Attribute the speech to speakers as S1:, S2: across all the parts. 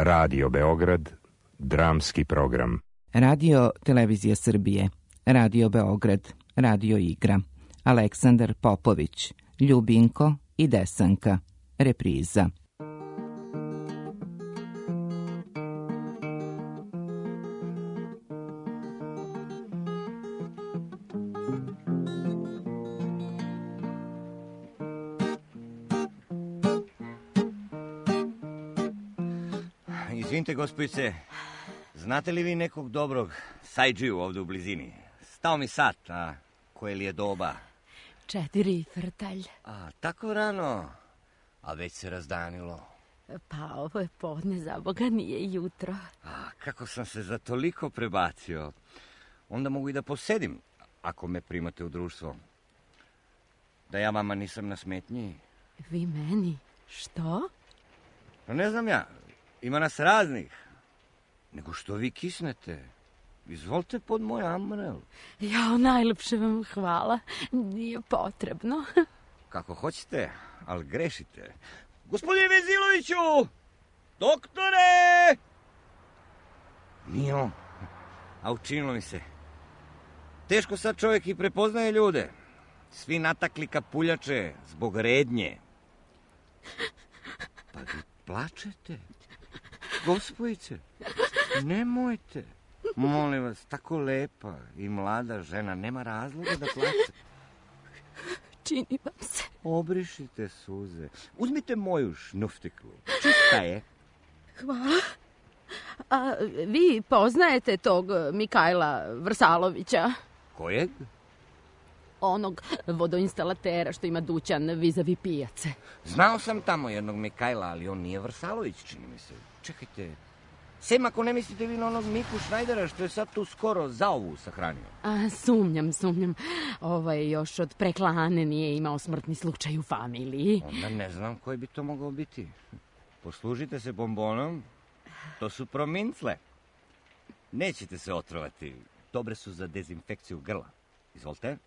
S1: Radio Beograd, dramski program.
S2: Radio Televizija Srbije, Radio Beograd, Radio Igra, Aleksandar Popović, Ljubinko i Desanka, repriza.
S3: Izvinite, gospojice, znate li vi nekog dobrog sajđiju ovdje u blizini? Stao mi sat, a koje li je doba?
S4: 4 frtalj.
S3: A, tako rano, a već se razdanilo.
S4: Pa ovo je podne, za Boga, nije jutro.
S3: A, kako sam se za toliko prebacio. Onda mogu i da posedim, ako me primate u društvo. Da ja vama nisam na smetnji.
S4: Vi meni? Što?
S3: No, ne znam ja. Ima nas raznih. Nego što vi kisnete? Izvolite pod moj amrel.
S4: Jao, najlepše vam hvala. Nije potrebno.
S3: Kako hoćete, ali grešite. Gospodine Veziloviću! Doktore! Nije on. A učinilo mi se. Teško sad čovjek i prepoznaje ljude. Svi natakli kapuljače zbog rednje. Pa vi plačete? Gospojice, nemojte. Molim vas, tako lepa i mlada žena, nema razloga da plače.
S4: Čini vam se.
S3: Obrišite suze. Uzmite moju šnuftiklu. Čista je.
S4: Hvala. A vi poznajete tog Mikajla Vrsalovića?
S3: Kojeg?
S4: Onog vodoinstalatera što ima dućan vizavi pijace.
S3: Znao sam tamo jednog Mikajla, ali on nije Vrsalović, čini mi se. Čekajte, sem ako ne mislite vi na onog Miku Šnajdera što je sad tu skoro zaovu sahranio.
S4: A, sumnjam. Još od preklane nije imao smrtni slučaj u familiji.
S3: Onda ne znam koji bi to mogao biti. Poslužite se bombonom, to su promincle. Nećete se otrovati, dobre su za dezinfekciju grla. Izvolite.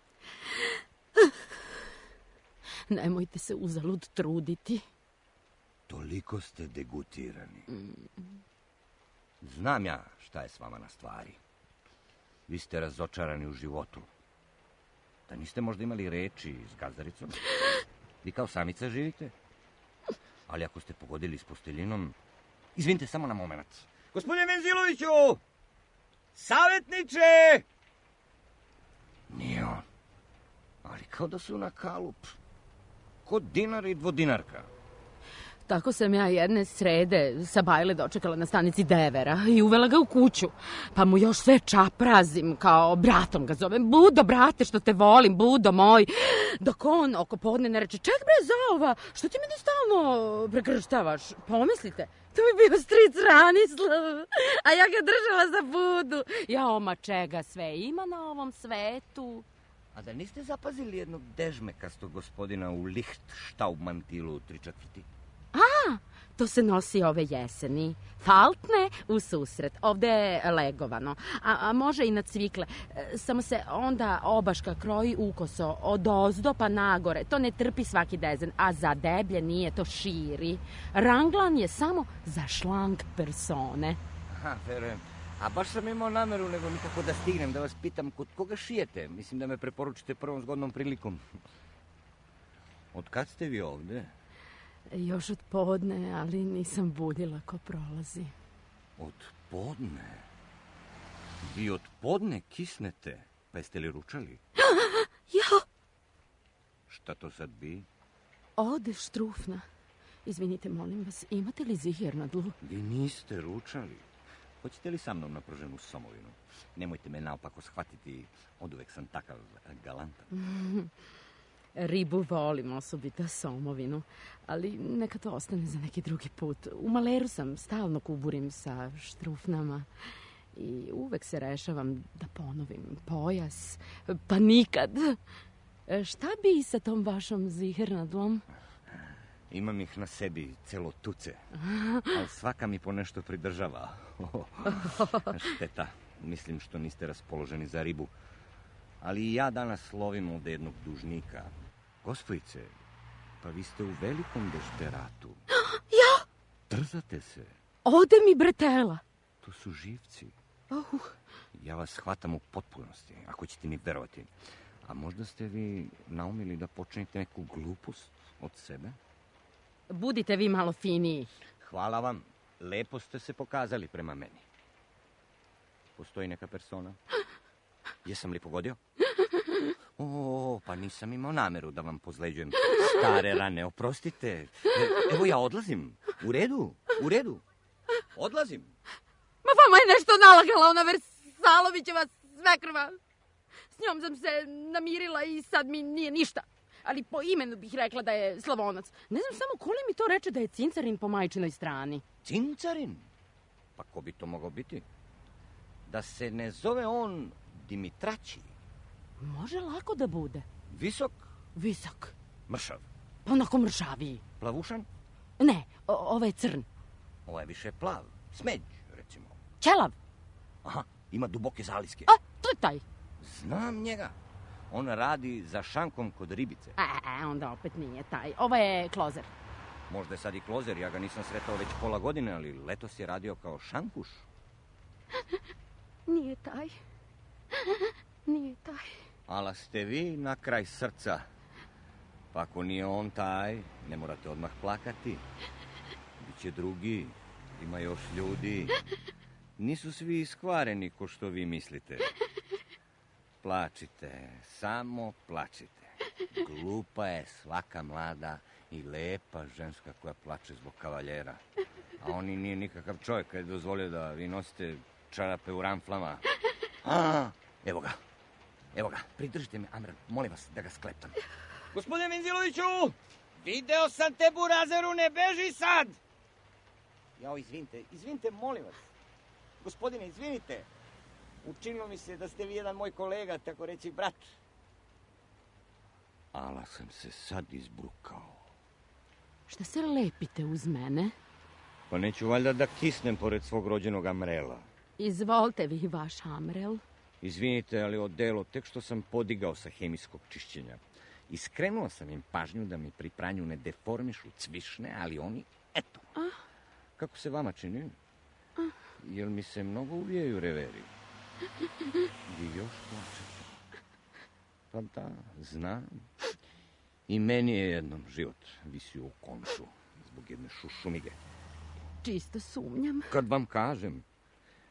S4: Nemojte se uzalud truditi.
S3: Toliko ste degutirani. Znam ja šta je s vama na stvari. Vi ste razočarani u životu. Da niste možda imali reči s gazdaricom? Vi kao samica živite? Ali ako ste pogodili s posteljinom... Izvinite, samo na moment. Gospodine Venziloviću! Savjetniče! Nije on. Ali kao da su na kalup. Kod dinar i dvodinarka.
S4: Tako sam ja jedne srede sa Bajle dočekala na stanici Devera i uvela ga u kuću. Pa mu još sve čaprazim, kao bratom ga zovem. Budo, brate, što te volim, Budo moj. Dok on oko podne ne reče, ček bre zaova, što ti meni stalno prekrštavaš? Pomislite, to mi bio stric Ranislav, a ja ga držala za Budu. Jao, ma čega sve ima na ovom svetu?
S3: A da niste zapazili jednog dežmekastog gospodina u Lichtstaub mantilu 3/4?
S4: A, to se nosi ove jeseni. Faltne u susret. Ovde je legovano. A može i na cvikle. Samo se onda obaška kroji ukoso. Od ozdo pa nagore. To ne trpi svaki dezen. A za deblje nije, to širi. Ranglan je samo za šlang persone.
S3: Aha, verujem. A baš sam imao nameru, nego nikako da stignem, da vas pitam kod koga šijete. Mislim da me preporučite prvom zgodnom prilikom. Od kad ste vi ovde?
S4: Još od podne, ali nisam budila ko prolazi.
S3: Od podne? Vi od podne kisnete? Pa jeste li ručali?
S4: Jo!
S3: Šta to sad bi?
S4: Ode štrufna. Izvinite, molim vas, imate li ziher na dlu?
S3: Vi niste ručali. Hoćete li sa mnom na prženu somovinu? Nemojte me naopako shvatiti, oduvek sam takav galantan.
S4: Ribu volim, osobito somovinu, ali neka to ostane za neki drugi put. U maleru sam, stalno kuburim sa štrufnama i uvek se rešavam da ponovim pojas, pa nikad. Šta bi sa tom vašom zihernadlom?
S3: Imam ih na sebi celo tuce, ali svaka mi po nešto pridržava. Šteta, mislim što niste raspoloženi za ribu. Ali i ja danas lovim ovde jednog dužnika. Gospojice, pa vi ste u velikom dešperatu.
S4: Ja?
S3: Trzate se.
S4: Ode mi bretela.
S3: To su živci. Ja vas shvatam u potpunosti, ako ćete mi verovati. A možda ste vi naumili da počinite neku glupost od sebe?
S4: Budite vi malo finiji.
S3: Hvala vam. Lepo ste se pokazali prema meni. Postoji neka persona? Jesam li pogodio? Pa nisam imao nameru da vam pozleđujem stare rane. Oprostite. Evo ja odlazim. U redu. Odlazim.
S4: Ma vama je nešto nalagala ona Versalovićeva svekrva. S njom sam se namirila i sad mi nije ništa. Ali po imenu bih rekla da je Slavonac. Ne znam samo ko li mi to reče da je Cincarin po majčinoj strani.
S3: Cincarin? Pa ko bi to mogao biti? Da se ne zove on Dimitraći?
S4: Može lako da bude.
S3: Visok? Mršav?
S4: Pa onako mršaviji.
S3: Plavušan?
S4: Ne, ovo je crn.
S3: Ovo je više plav. Smeđ, recimo.
S4: Ćelav?
S3: Aha, ima duboke zaliske.
S4: To je taj.
S3: Znam njega. On radi za šankom kod ribice.
S4: Onda opet nije taj. Ovo je klozer.
S3: Možda je sad i klozer, ja ga nisam sretao već pola godine, ali letos je radio kao šankuš.
S4: Nije taj.
S3: Ala ste vi na kraj srca. Pa ako nije on taj, ne morate odmah plakati. Biće drugi, ima još ljudi. Nisu svi iskvareni ko što vi mislite. Plačite, samo plačite. Glupa je svaka mlada i lepa ženska koja plače zbog kavaljera. A on i nije nikakav čovjek kad je dozvolio da vi nosite čarape u ramflama. Evo ga, pridržite me, Amran, molim vas da ga skleptam. Gospodine Menziloviću, video sam te, burazeru, ne beži sad! Jao, izvinite, molim vas. Gospodine, izvinite. Učinilo mi se da ste vi jedan moj kolega, tako reći brat. Ala sam se sad izbrukao.
S4: Šta se lepite uz mene?
S3: Pa neću valjda da kisnem pored svog rođenog Amrela.
S4: Izvolite vi vaš Amrel.
S3: Izvinite, ali odelo, tek što sam podigao sa hemijskog čišćenja. I skrenuo sam im pažnju da mi pri pranju ne deformišu cvišne, ali oni, eto. Kako se vama čini? Jel mi se mnogo uvijaju reveri? Vi još plačete. Pa da, znam. I meni je jednom život visio u koncu zbog jedne šušumige.
S4: Čisto sumnjam.
S3: Kad vam kažem,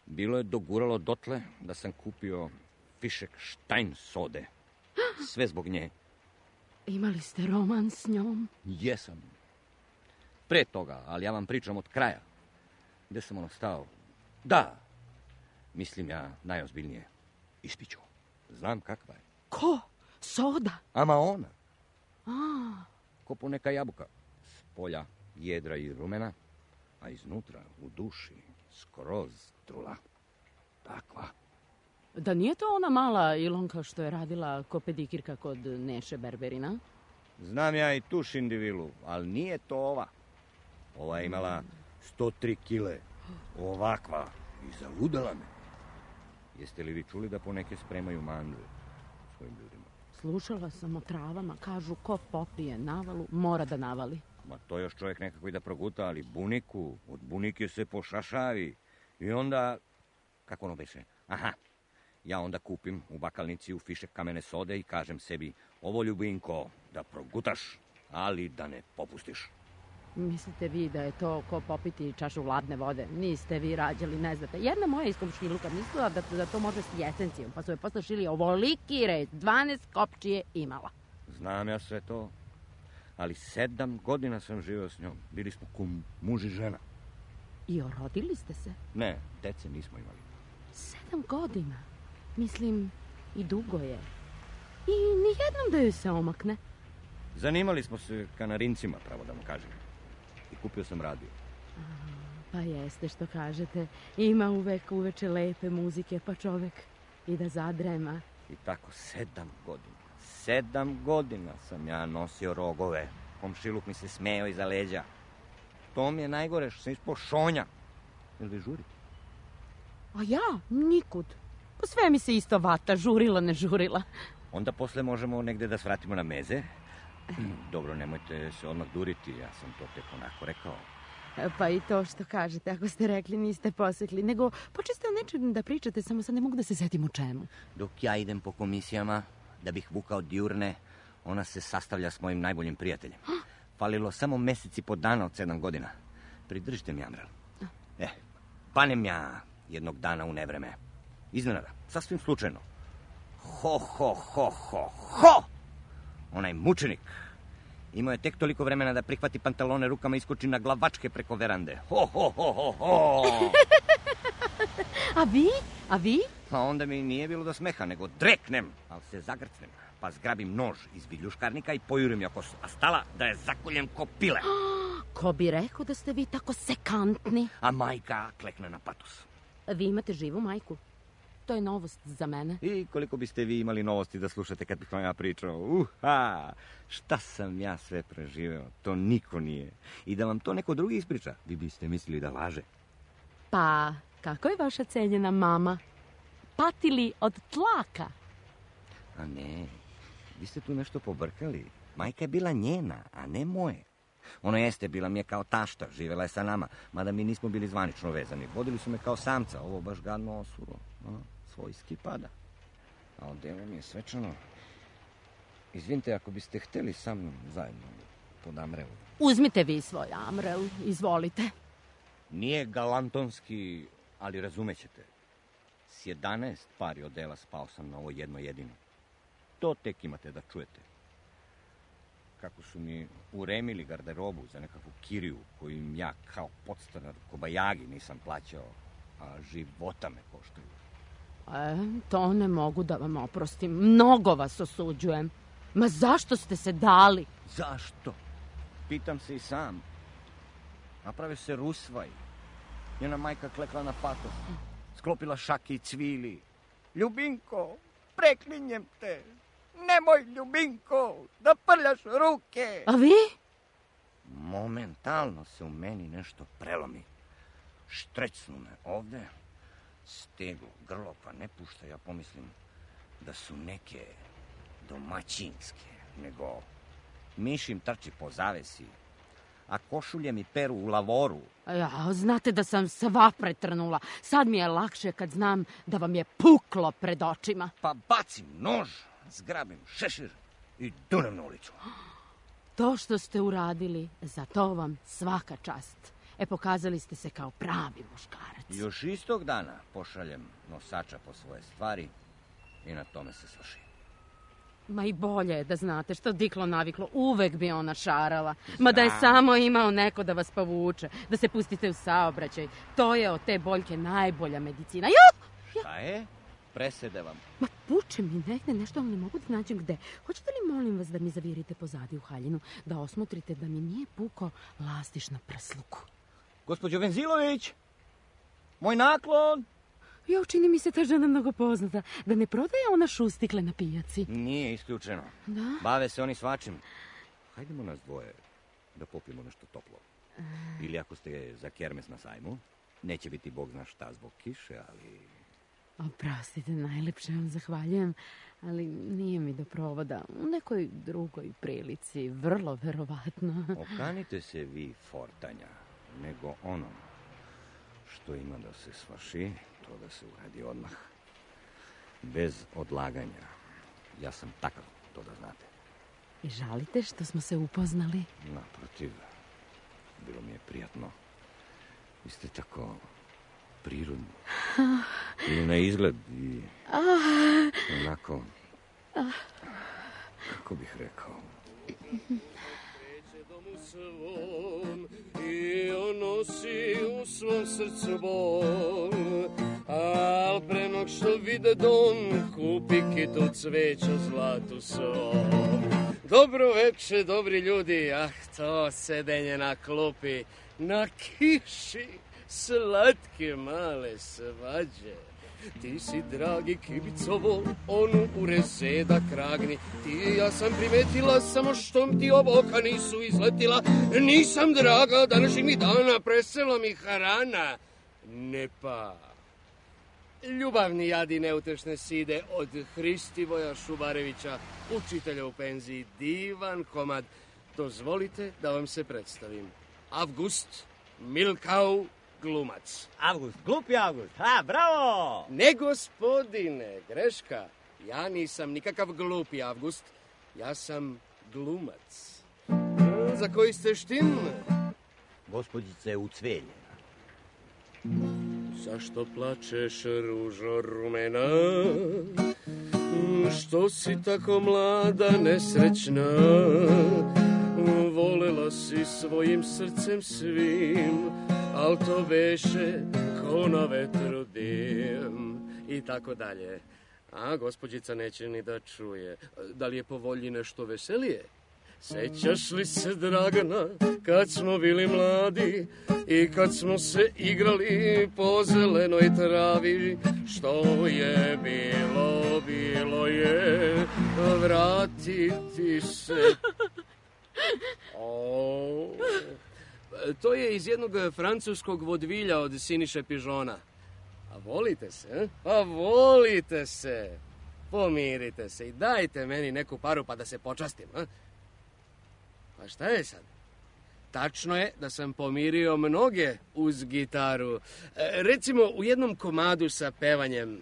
S3: bilo je doguralo dotle da sam kupio fišek Štajn sode. Sve zbog nje.
S4: Imali ste roman s njom?
S3: Jesam. Pre toga, ali ja vam pričam od kraja. Gde sam ono stao? Da, mislim ja najozbiljnije. Ispiću. Znam kakva je.
S4: Ko? Soda?
S3: Ama ona. Ko po neka jabuka. S polja jedra i rumena, a iznutra, u duši, skroz trula. Takva.
S4: Da nije to ona mala Ilonka što je radila ko pedikirka kod Neše Berberina?
S3: Znam ja i tu Šindivilu, ali nije to ova. Ova je imala 103 kile. Ovakva. I zaludala me. Jeste li vi čuli da poneke spremaju mandre svojim ljudima?
S4: Slušala sam o travama, kažu ko popije navalu, mora da navali.
S3: Ma to još čovjek nekako i da proguta, ali buniku, od bunike se pošašavi. I onda, kako ono beše? Aha, ja onda kupim u bakalnici u fišek kamene sode i kažem sebi, ovo ljubinko, da progutaš, ali da ne popustiš.
S4: Mislite vi da je to ko popiti čašu hladne vode? Niste vi rađali, ne znate. Jedna moja iz komšiluka mislila da to može s jesencijom, pa su je posle šili ovoliki red, 12 kopčije imala.
S3: Znam ja sve to, ali 7 godina sam živio s njom. Bili smo ko muž i žena.
S4: I orodili ste se?
S3: Ne, dece nismo imali.
S4: 7 godina? Mislim, i dugo je. I nijednom da joj se omakne.
S3: Zanimali smo se kanarincima, pravo da mu kažem. I kupio sam radio.
S4: Pa jeste što kažete. Ima uvek uveče lepe muzike, pa čovek i da zadrema.
S3: I tako 7 godina. 7 godina sam ja nosio rogove. Komšiluk mi se smejao iza leđa. To mi je najgore što sam ispao šonja. Jel vi žurite?
S4: A ja? Nikud. Pa sve mi se isto vata, žurila, ne žurila.
S3: Onda posle možemo negde da svratimo na meze. Dobro, nemojte se odmah duriti, ja sam to tek onako rekao.
S4: Pa i to što kažete, ako ste rekli niste posekli, nego počeste o nečem da pričate, samo sad ne mogu da se setim u čemu.
S3: Dok ja idem po komisijama da bih vukao Diurne, ona se sastavlja s mojim najboljim prijateljem. Falilo samo meseci po dana od 7 godina. Pridržite mi, Amrel. Panem ja jednog dana u nevreme. Iznenada, sasvim slučajno. Ho! Onaj mučenik imao je tek toliko vremena da prihvati pantalone rukama i iskoči na glavačke preko verande. Ho!
S4: A vi?
S3: Pa onda mi nije bilo do smeha, nego dreknem, ali se zagrcnem. Pa zgrabim nož iz viljuškarnika i pojurim je oko stala da je zakoljem ko pile.
S4: Ko bi rekao da ste vi tako sekantni?
S3: A majka klekne na patos.
S4: Vi imate živu majku? To je novost za mene.
S3: I koliko biste vi imali novosti da slušate kad bih vam ja pričao? Šta sam ja sve preživeo, to niko nije. I da vam to neko drugi ispriča, vi biste mislili da laže.
S4: Pa, kako je vaša cenjena mama? Patili od tlaka?
S3: A ne, vi ste tu nešto pobrkali. Majka je bila njena, a ne moje. Ono jeste, bila mi je kao tašta, živela je sa nama, mada mi nismo bili zvanično vezani. Vodili su me kao samca, ovo baš gadno osuro. Svojski pada. A odelo mi je svečano. Izvinite, ako biste hteli sa mnom zajedno pod Amrelu.
S4: Uzmite vi svoj Amrel, izvolite.
S3: Nije galantonski, ali razumećete. S 11 pari odela spao sam na ovo jedno jedino. To tek imate da čujete. Kako su mi uremili garderobu za nekakvu kiriju koju im ja kao podstanar kobajagi nisam plaćao, a života me koštaju.
S4: To ne mogu da vam oprostim. Mnogo vas osuđujem. Ma zašto ste se dali?
S3: Zašto? Pitam se i sam. Naprave se rusvaj. Njena majka klekla na patos. Sklopila šake i cvili. Ljubinko, preklinjem te. Nemoj, Ljubinko, da prljaš ruke.
S4: A vi?
S3: Momentalno se u meni nešto prelomi. Štrecnu me ovde. Steglo, grlo, pa ne pušta, ja pomislim da su neke domaćinske, nego mišim trči po zavesi, a košulje mi peru u lavoru.
S4: Znate da sam sva pretrnula. Sad mi je lakše kad znam da vam je puklo pred očima.
S3: Pa bacim nož, zgrabim šešir i dunem na ulicu.
S4: To što ste uradili, za to vam svaka čast. Pokazali ste se kao pravi muškarac.
S3: Još istog dana pošaljem nosača po svoje stvari i na tome se svrši.
S4: Ma i bolje je da znate što diklo naviklo, uvek bi ona šarala. Ma da je samo imao neko da vas povuče, da se pustite u saobraćaj. To je od te boljke najbolja medicina.
S3: Šta je? Presede vam.
S4: Ma puče mi negde nešto, ali ne mogu da nađem gde. Hoćete li, molim vas, da mi zavirite pozadi u haljinu, da osmotrite da mi nije puko lastiš na prsluku?
S3: Gospođo Venzilović, moj naklon.
S4: Čini mi se ta žena mnogo poznata. Da ne prodaje ona šustikle na pijaci?
S3: Nije isključeno.
S4: Da?
S3: Bave se oni svačim. Hajdemo nas dvoje da popijemo nešto toplo. Ili ako ste za kermes na sajmu, neće biti bog zna šta zbog kiše, ali...
S4: Oprostite, najlepše vam zahvaljujem, ali nije mi do provoda. U nekoj drugoj prilici, vrlo verovatno.
S3: Okanite se vi fortanja, nego ono što ima da se svrši, to da se uradi odmah. Bez odlaganja. Ja sam takav, to da znate.
S4: I žalite što smo se upoznali?
S3: Naprotiv, bilo mi je prijatno. Vi ste tako prirodni. I na izgled i onako, kako bih rekao...
S5: I on nosi u svom srcu bol, al pre nog što vide don, kupi kitu cveća zlatu svom. Dobro veče, dobri ljudi, to sedenje na klupi, na kiši, slatke male svađe. Ti si, dragi kibicovo, onu u reseda kragni. Ti i ja sam primetila, samo što ti oboka nisu izletila. Nisam, draga, današnjeg mi dana, presela mi harana. Ne pa. Ljubavni jadi neutešne side od Hristivoja Šubarevića, učitelja u penziji, divan komad. Dozvolite da vam se predstavim. Avgust, Milkau glumac.
S6: Avgust, glupi Avgust. Bravo!
S5: Ne, gospodine, greška. Ja nisam nikakav glupi Avgust. Ja sam glumac. Za koji ste štim?
S6: Gospođice u cvelje.
S5: Zašto plačeš, ružo rumena? Što si tako mlada, nesrećna? Volela si svojim srcem svim, al to beše ko na vetru dim. I tako dalje. A gospođica neće ni da čuje. Da li je po volji nešto veselije? Sećaš li se, Dragana, kad smo bili mladi i kad smo se igrali po zelenoj travi? Što je bilo, bilo je, vratiti se. To je iz jednog francuskog vodvilja od Siniše Pižona. A volite se, a volite se. Pomirite se i dajte meni neku paru pa da se počastim, a? Pa šta je sad? Tačno je da sam pomirio mnoge uz gitaru. Recimo u jednom komadu sa pevanjem.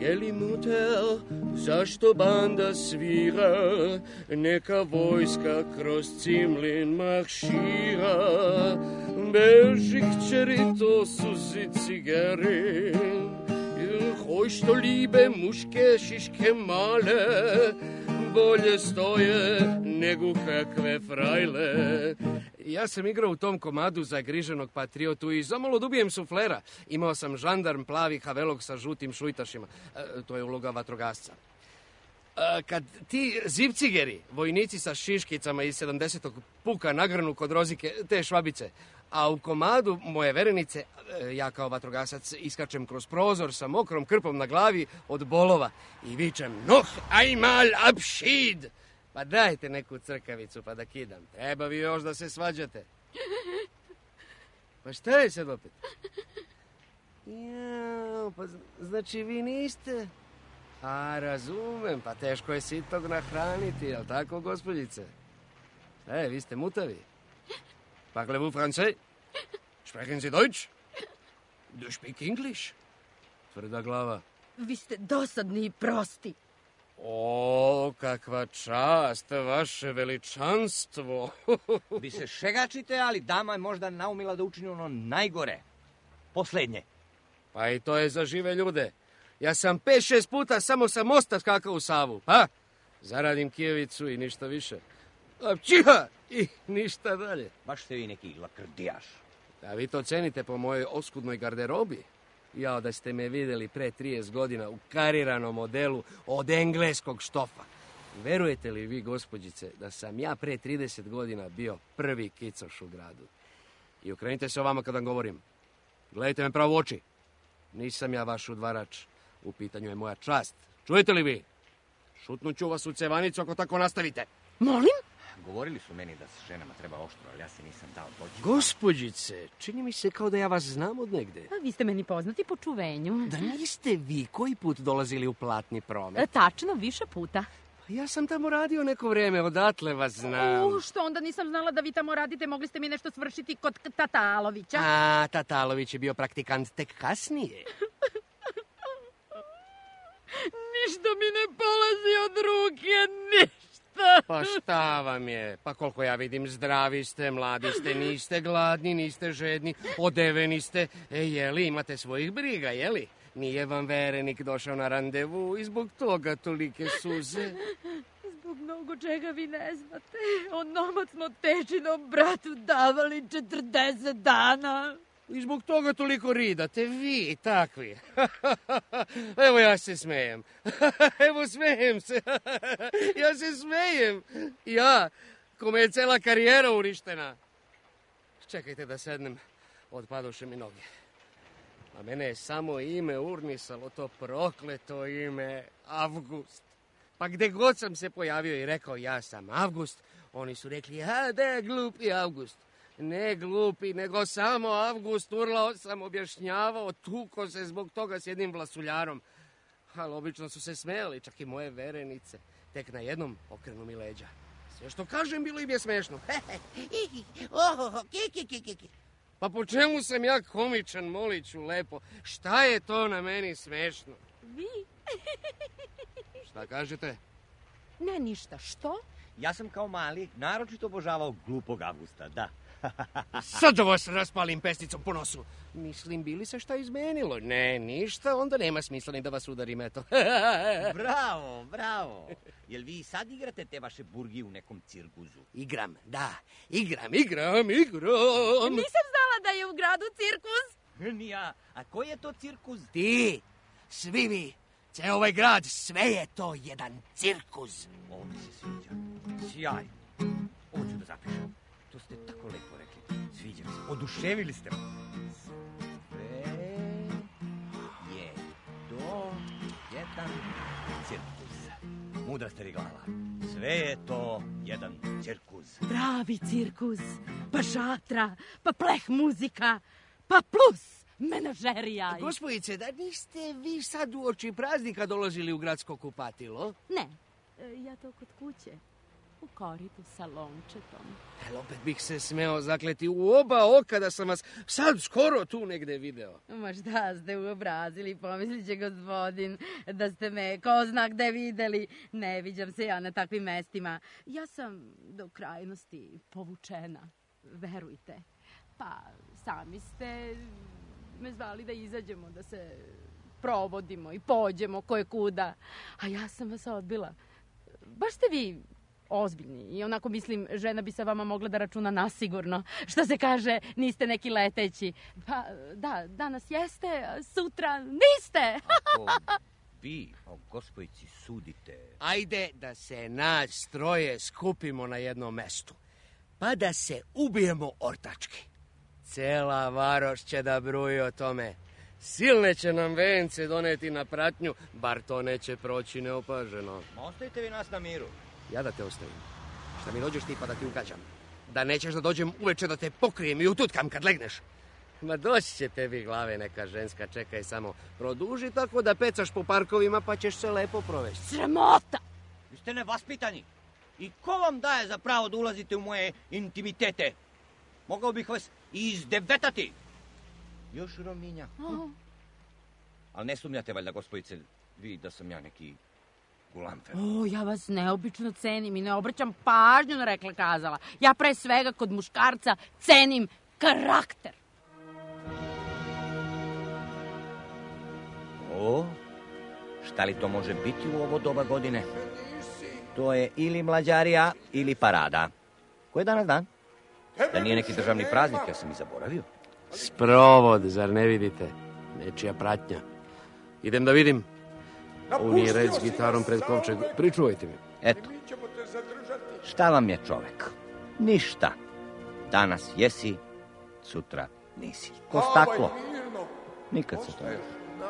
S5: Je li mutel, zašto banda svira, neka vojska kroz Cimlin maršira. Beži kćeri, to su cigari, hoj što libe muške šiške male, bolje stoje nego kakve frajle. Ja sam igrao u tom komadu za griženog patriotu i zamalo dubijem suflera. Imao sam žandarm plavi havelog sa žutim šujtašima. To je uloga vatrogasca. Kad ti zivcigeri, vojnici sa šiškicama iz 70. puka nagrnu kod Rozike, te švabice, a u komadu moje verenice, ja kao vatrogasac iskačem kroz prozor sa mokrom krpom na glavi od bolova i vičem Noh einmal Abschied! Pa dajte neku crkavicu pa da kidam. Treba vi još da se svađate. Pa šta je sad opet? Ja, pa znači vi niste? A razumem, pa teško je sitog nahraniti, jel tako, gospođice? Vi ste mutavi. Parlez-vous français? Sprechen Sie Deutsch? Do you speak English? Tvrda glava.
S4: Vi ste dosadni i prosti.
S5: O, kakva čast, vaše veličanstvo.
S6: Vi se šegačite, ali dama je možda naumila da učini ono najgore. Poslednje.
S5: Pa i to je za žive ljude. Ja sam 5-6 puta samo sa mosta skakao u Savu, pa? Zaradim kijevicu i ništa više. Čiha! I ništa dalje.
S6: Baš ste vi neki lakrdijaš.
S5: A vi to cenite po mojoj oskudnoj garderobi. Jao da ste me videli pre 30 godina u kariranom modelu od engleskog štofa. Verujete li vi, gospođice, da sam ja pre 30 godina bio prvi kicoš u gradu? I okrenite se ovamo kad vam govorim. Gledajte me pravo u oči. Nisam ja vaš udvarač. U pitanju je moja čast. Čujete li vi? Šutnuću vas u cevanicu ako tako nastavite.
S4: Molim?
S6: Govorili su meni da s ženama treba oštro, ali ja se nisam dao doći.
S5: Gospođice, čini mi se kao da ja vas znam od negde.
S4: A vi ste meni poznati po čuvenju.
S5: Da niste vi koji put dolazili u platni promet?
S4: Tačno, više puta.
S5: Ja sam tamo radio neko vreme, odatle vas znam.
S4: Što onda nisam znala da vi tamo radite, mogli ste mi nešto svršiti kod Tatalovića.
S5: A, Tatalović je bio praktikant tek kasnije.
S4: Ništa mi ne polazi od ruke, ništa.
S5: Pa šta vam je? Pa koliko ja vidim, zdravi ste, mladi ste, niste gladni, niste žedni, odeveni ste. Jeli, imate svojih briga, jeli? Nije vam verenik došao na randevu i zbog toga tolike suze.
S4: Zbog mnogo čega vi ne znate. Onomad smo tečinom bratu davali 40 dana.
S5: I zbog toga toliko ridate, vi, takvi. Evo ja se smejem. Evo smejem se. Ja se smejem. Ja, kome je cela karijera uništena. Čekajte da sednem, otpadoše mi noge. A mene je samo ime urnisalo, to prokleto ime Avgust. Pa gde god sam se pojavio i rekao ja sam Avgust, oni su rekli, da je glupi Avgust. Ne glupi, nego samo Avgust, urlao sam, objašnjavao, tuko se zbog toga s jednim vlasuljarom. Ali obično su se smejali, čak i moje verenice. Tek na jednom okrenu mi leđa. Sve što kažem bilo im je smešno.
S7: Ki.
S5: Pa po čemu sam ja komičan, Moliću, lepo? Šta je to na meni smešno?
S4: Vi?
S5: Šta kažete?
S4: Ne, ništa. Što?
S6: Ja sam kao mali naročito obožavao glupog Avgusta, da.
S5: Sad da vas raspalim pesnicom po nosu. Mislim, bili se šta izmenilo? Ne, ništa, onda nema smisla ni da vas udarim, eto.
S6: Bravo. Jel vi sad igrate te vaše burgi u nekom cirkuzu?
S5: Igram, da. Igram.
S4: Nisam znala da je u gradu cirkus.
S6: Ni ja. A koji je to cirkus?
S5: Ti, svi vi, ceo ovaj grad, sve je to jedan cirkus.
S6: Ovo mi se sviđa. Sjaj. Ovo ću da zapišem. To ste tako lepo rekli. Sviđa mi se. Oduševili ste me. Sve je to jedan cirkus. Mudra ste ri glava. Sve je to jedan cirkus.
S4: Pravi cirkus. Pa šatra, pa pleh muzika, pa plus menažerija.
S5: Gospodice, da niste vi sad uoči praznika dolazili u gradsko kupatilo?
S4: Ne, ja to kod kuće. U koritu sa lončetom.
S5: Opet bih se smeo zakleti u oba oka da sam vas sad skoro tu negde video.
S4: Ma šta ste uobrazili, pomislit će gospodin da ste me ko zna gde videli. Ne viđam se ja na takvim mestima. Ja sam do krajnosti povučena, verujte. Pa sami ste me zvali da izađemo, da se provodimo i pođemo koje kuda. A ja sam vas odbila. Baš ste vi ozbiljni i onako mislim, žena bi sa vama mogla da računa nasigurno. Što se kaže, niste neki leteći. Pa da, danas jeste, sutra niste.
S6: Ako vi o gospodici sudite...
S5: Ajde da se nas troje skupimo na jednom mestu, pa da se ubijemo ortački. Cela varoš će da bruji o tome. Silne će nam vence doneti na pratnju, bar to neće proći neopaženo.
S6: Ostavite vi nas na miru.
S5: Ja da te ostavim. Šta mi dođeš ti pa da ti ugađam? Da nećeš da dođem uveče da te pokrijem i ututkam kad legneš? Ma doći će tebi glave neka ženska, čekaj samo. Produži tako da pecaš po parkovima pa ćeš se lepo provesti.
S4: Sramota!
S6: Vi ste nevaspitani. I ko vam daje za pravo da ulazite u moje intimitete? Mogao bih vas i izdevetati. Još Rominja. Ali ne sumnjate valjda, gospodice, vi da sam ja neki gulamfer.
S4: O, ja vas neobično cenim i ne obraćam pažnju na rekla kazala. Ja pre svega kod muškarca cenim karakter.
S6: O, šta li to može biti u ovo doba godine? To je ili mlađarija ili parada. Ko je danas dan? Da nije neki državni praznik, ja sam i zaboravio.
S5: Sprovod, zar ne vidite? Nečija pratnja. Idem da vidim. Ovo nije red s gitarom pred kovčeg. Pričuvajte mi.
S6: Eto, šta vam je čovek? Ništa. Danas jesi, sutra nisi. Ko staklo. Nikad se to ne.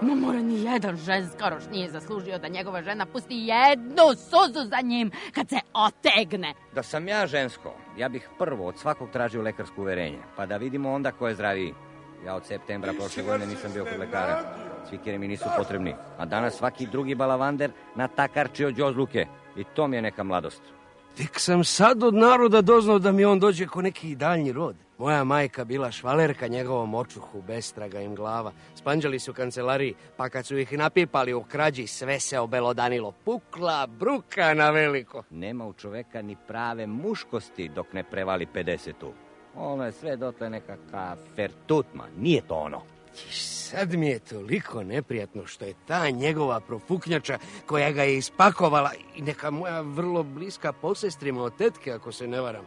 S4: Ma mora ni jedan ženskaroš nije zaslužio da njegova žena pusti jednu suzu za njim kad se otegne.
S6: Da sam ja žensko, ja bih prvo od svakog tražio lekarsko uverenje, pa da vidimo onda ko je zdraviji. Ja od septembra prošle godine nisam bio kod lekara. Svikeri mi nisu potrebni. A danas svaki drugi balavander natakarči od đozluke. I to mi je neka mladost.
S5: Tek sam sad od naroda doznao da mi on dođe ko neki daljnji rod. Moja majka bila švalerka njegovom očuhu, bestraga im glava. Spanđali su u kancelariji, pa kad su ih napipali u krađi, sve se obelodanilo. Pukla bruka na veliko.
S6: Nema u čoveka ni prave muškosti dok ne prevali 50-u. Ono je sve dotle nekakav fertutma. Nije to ono.
S5: Sad mi je toliko neprijatno što je ta njegova profuknjača koja ga je ispakovala i neka moja vrlo bliska posestrima od tetke, ako se ne varam.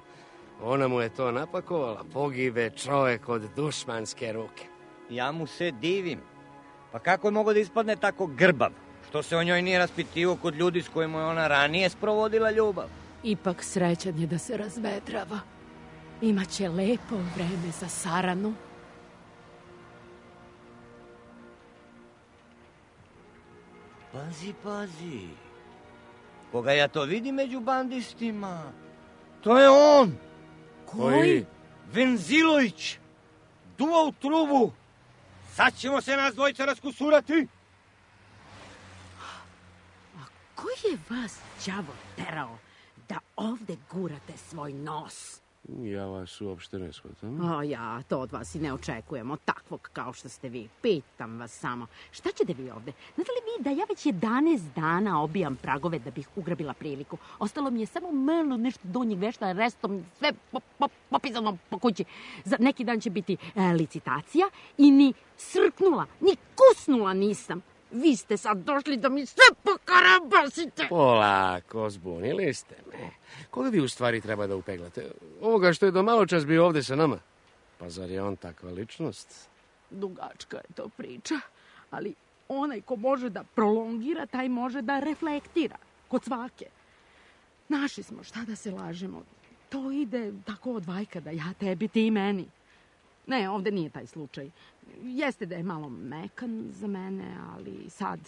S5: Ona mu je to napakovala, pogibe čovek od dušmanske ruke.
S6: Ja mu se divim. Pa kako je mogo da ispadne tako grbav? Što se o njoj nije raspitivo kod ljudi s kojima je ona ranije sprovodila ljubav?
S4: Ipak srećan je da se razvedrava. Imaće lepo vreme za saranu.
S6: Pazi, pazi. Koga ja to vidim među bandistima? To je on.
S4: Koji?
S6: Venzilović. Duva u trubu. Sad ćemo se nas dvojica raskusurati.
S4: A ko je vas đavo terao da ovde gurate svoj nos.
S5: Ja vas uopšte ne shvatam.
S4: Ja to od vas i ne očekujemo, takvog kao što ste vi. Pitam vas samo, šta ćete vi ovde? Znate li vi da ja već 11 dana obijam pragove da bih ugrabila priliku? Ostalo mi je samo malo nešto donjeg vešta, restom sve popisano po kući. Za neki dan će biti licitacija i ni srknula, ni kusnula nisam. Vi ste sad došli da mi sve pokarabasite.
S5: Polako, zbunili ste me. Koga vi u stvari treba da upeglate? Ovoga što je do malo čas bio ovde sa nama. Pa zar je on takva ličnost?
S4: Dugačka je to priča, ali onaj ko može da prolongira, taj može da reflektira. Kod svake. Naši smo, šta da se lažemo. To ide tako od vajkada, ja tebi, ti meni. Ne, ovde nije taj slučaj. Jeste da je malo mekan za mene, ali sad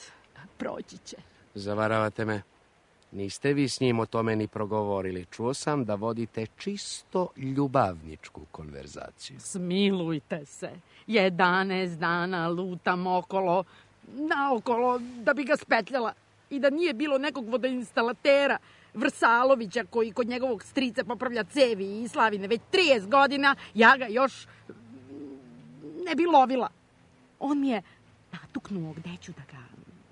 S4: proći će.
S5: Zavaravate me. Niste vi s njim o tome ni progovorili. Čuo sam da vodite čisto ljubavničku konverzaciju.
S4: Smilujte se. 11 dana lutam naokolo da bi ga spetljala. I da nije bilo nekog vodoinstalatera Vrsalovića koji kod njegovog strica popravlja cevi i slavine već 30 godina, ja ga još ne bi lovila. On mi je natuknuo gde ću da ga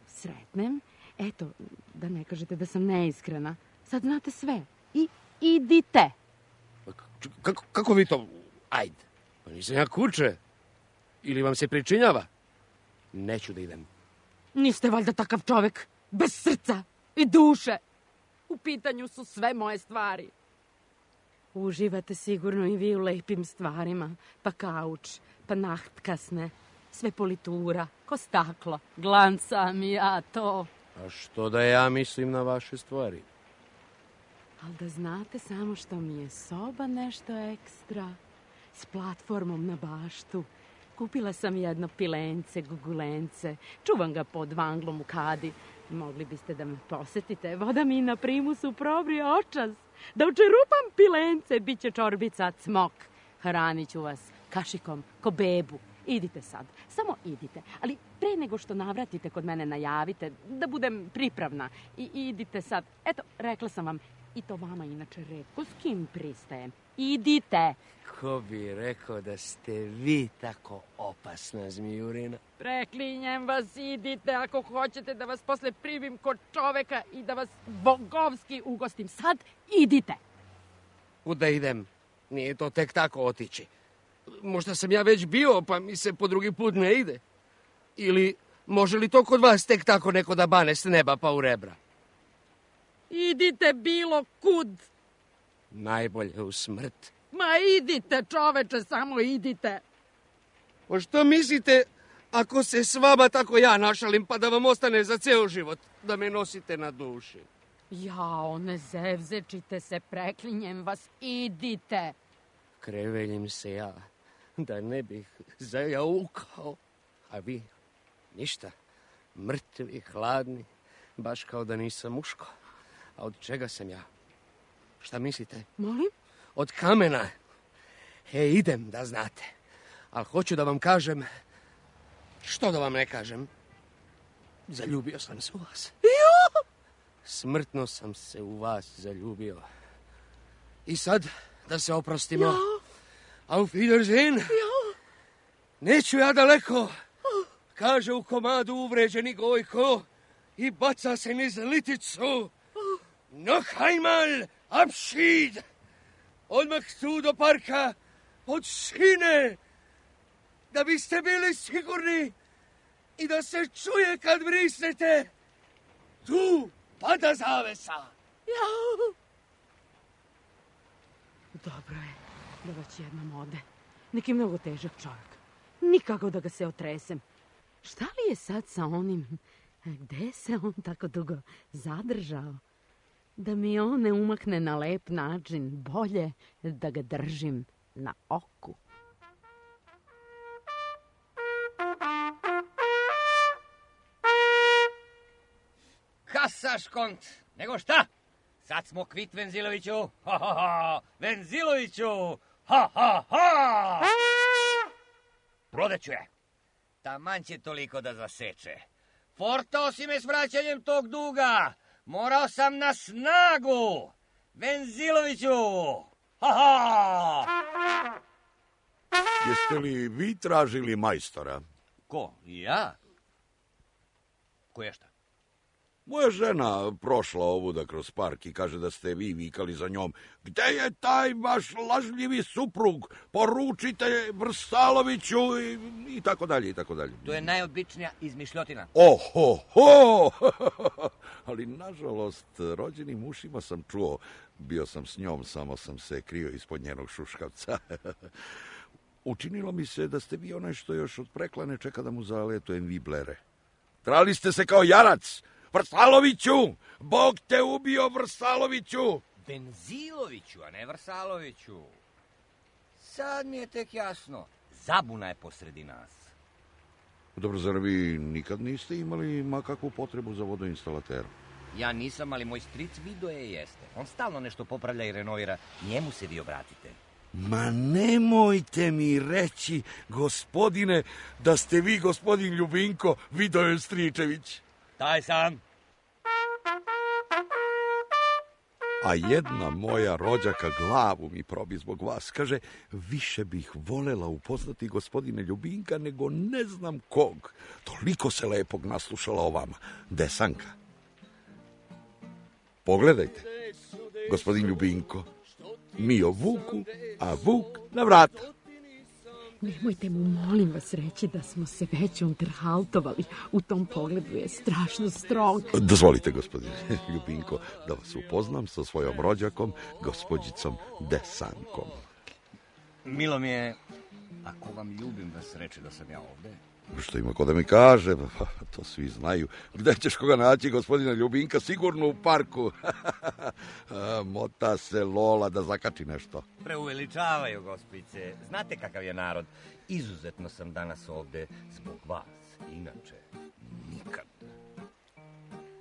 S4: sretnem. Eto, da ne kažete da sam neiskrena. Sad znate sve. I idite.
S5: Kako vi to? Ajde. Pa nisam ja kuče. Ili vam se pričinjava? Neću da idem.
S4: Niste valjda takav čovek. Bez srca i duše. U pitanju su sve moje stvari. Uživate sigurno i vi u lepim stvarima. Pa kauč, pa nachtkasne, sve politura, ko staklo. Glancam i ja to.
S5: A što da ja mislim na vaše stvari?
S4: Ali da znate samo što mi je soba nešto ekstra. S platformom na baštu. Kupila sam jedno pilence, gugulence. Čuvam ga pod vanglom u kadi. Mogli biste da me posetite. Voda mi na primusu probrije očas. Da učerupam pilence, bit će čorbica cmok. Hranit ću vas kašikom, ko bebu. Idite sad, samo idite. Ali pre nego što navratite kod mene najavite, da budem pripravna. I idite sad. Eto, rekla sam vam, i to vama inače retko s kim pristajem. Idite.
S5: Ko bi rekao da ste vi tako opasna zmijurina?
S4: Preklinjem vas, idite ako hoćete da vas posle primim kod čoveka i da vas bogovski ugostim. Sad idite.
S5: Kuda idem? Nije to tek tako otići. Možda sam ja već bio, pa mi se po drugi put ne ide. Ili može li to kod vas tek tako neko da bane s neba pa u rebra?
S4: Idite bilo kud.
S5: Najbolje u smrt.
S4: Ma idite, čoveče, samo idite.
S5: Pa što mislite ako se s vama tako ja našalim pa da vam ostane za ceo život, da me nosite na duši?
S4: Jao, ne zevzečite se, preklinjem vas, idite.
S5: Kreveljim se ja, da ne bih zajaukao. A vi, ništa, mrtvi, hladni, baš kao da nisam muško. A od čega sam ja? Šta mislite?
S4: Molim?
S5: Od kamena. Idem, da znate. Ali hoću da vam kažem, što da vam ne kažem, zaljubio sam se u vas. Smrtno sam se u vas zaljubio. I sad, da se oprostimo. Auf Wiedersehen. Neću ja daleko, kaže u komadu uvređeni Gojko i baca se niz liticu. Noch einmal Abschied. Odmah tu do parka, od šine, da biste bili sigurni i da se čuje kad vrisnete. Tu pada zavesa.
S4: Dobro je da već jednom ode. Neki mnogo težak čovjek. Nikako da ga se otresem. Šta li je sad sa onim? Gde se on tako dugo zadržao? Da mi on ne umakne na lep način, bolje da ga držim na oku.
S6: Kasaš kont, nego šta? Sad smo kvit, Venziloviću. Ha, ha, ha. Venziloviću. Ha, ha, ha. Prodaću je. Taman će toliko da zaseče. Fortao si me s vraćanjem tog duga. Morao sam na snagu. Venziloviću! Ha!
S7: Jeste li vi tražili majstora?
S6: Ko? Ja? Ko je šta?
S7: Moja žena prošla ovuda kroz park i kaže da ste vi vikali za njom. Gde je taj vaš lažljivi suprug? Poručite Vrsaloviću i tako dalje i tako dalje.
S6: To je najobičnija izmišljotina.
S7: Oho! Ali nažalost, rođenim ušima sam čuo. Bio sam s njom, samo sam se krio ispod njenog šuškavca. Učinilo mi se da ste vi onaj što još od preklane čeka da mu zaletujem viblere. Trali ste se kao jarac. Vrsaloviću! Bog te ubio, Vrsaloviću!
S6: Venziloviću, a ne Vrsaloviću. Sad mi je tek jasno. Zabuna je posredi nas.
S7: Dobro, zar vi nikad niste imali makakvu potrebu za vodoinstalaterom?
S6: Ja nisam, ali moj stric Vido jeste. On stalno nešto popravlja i renovira. Njemu se vi obratite.
S7: Ma nemojte mi reći, gospodine, da ste vi gospodin Ljubinko Vidoje Stričević.
S6: Taj sam.
S7: A jedna moja rođaka glavu mi probi zbog vas. Kaže, više bih volela upoznati gospodine Ljubinka nego ne znam kog. Toliko se lepog naslušala o vama. Desanka. Pogledajte, gospodin Ljubinko. Mi o Vuku, a Vuk na vrata.
S4: Nemojte mu, molim vas, reći da smo se već unterhaltovali. U tom pogledu je strašno strong.
S7: Dozvolite, gospodine Ljubinko, da vas upoznam sa svojom rođakom, gospođicom Desankom.
S6: Milo mi je, ako vam ljubim vas reći da sam ja ovde.
S7: Što ima ko da mi kaže, pa, to svi znaju. Gde ćeš koga naći, gospodina Ljubinka? Sigurno u parku. Mota se Lola da zakači nešto.
S6: Preuveličavaju, gospice. Znate kakav je narod. Izuzetno sam danas ovde zbog vas. Inače, nikad.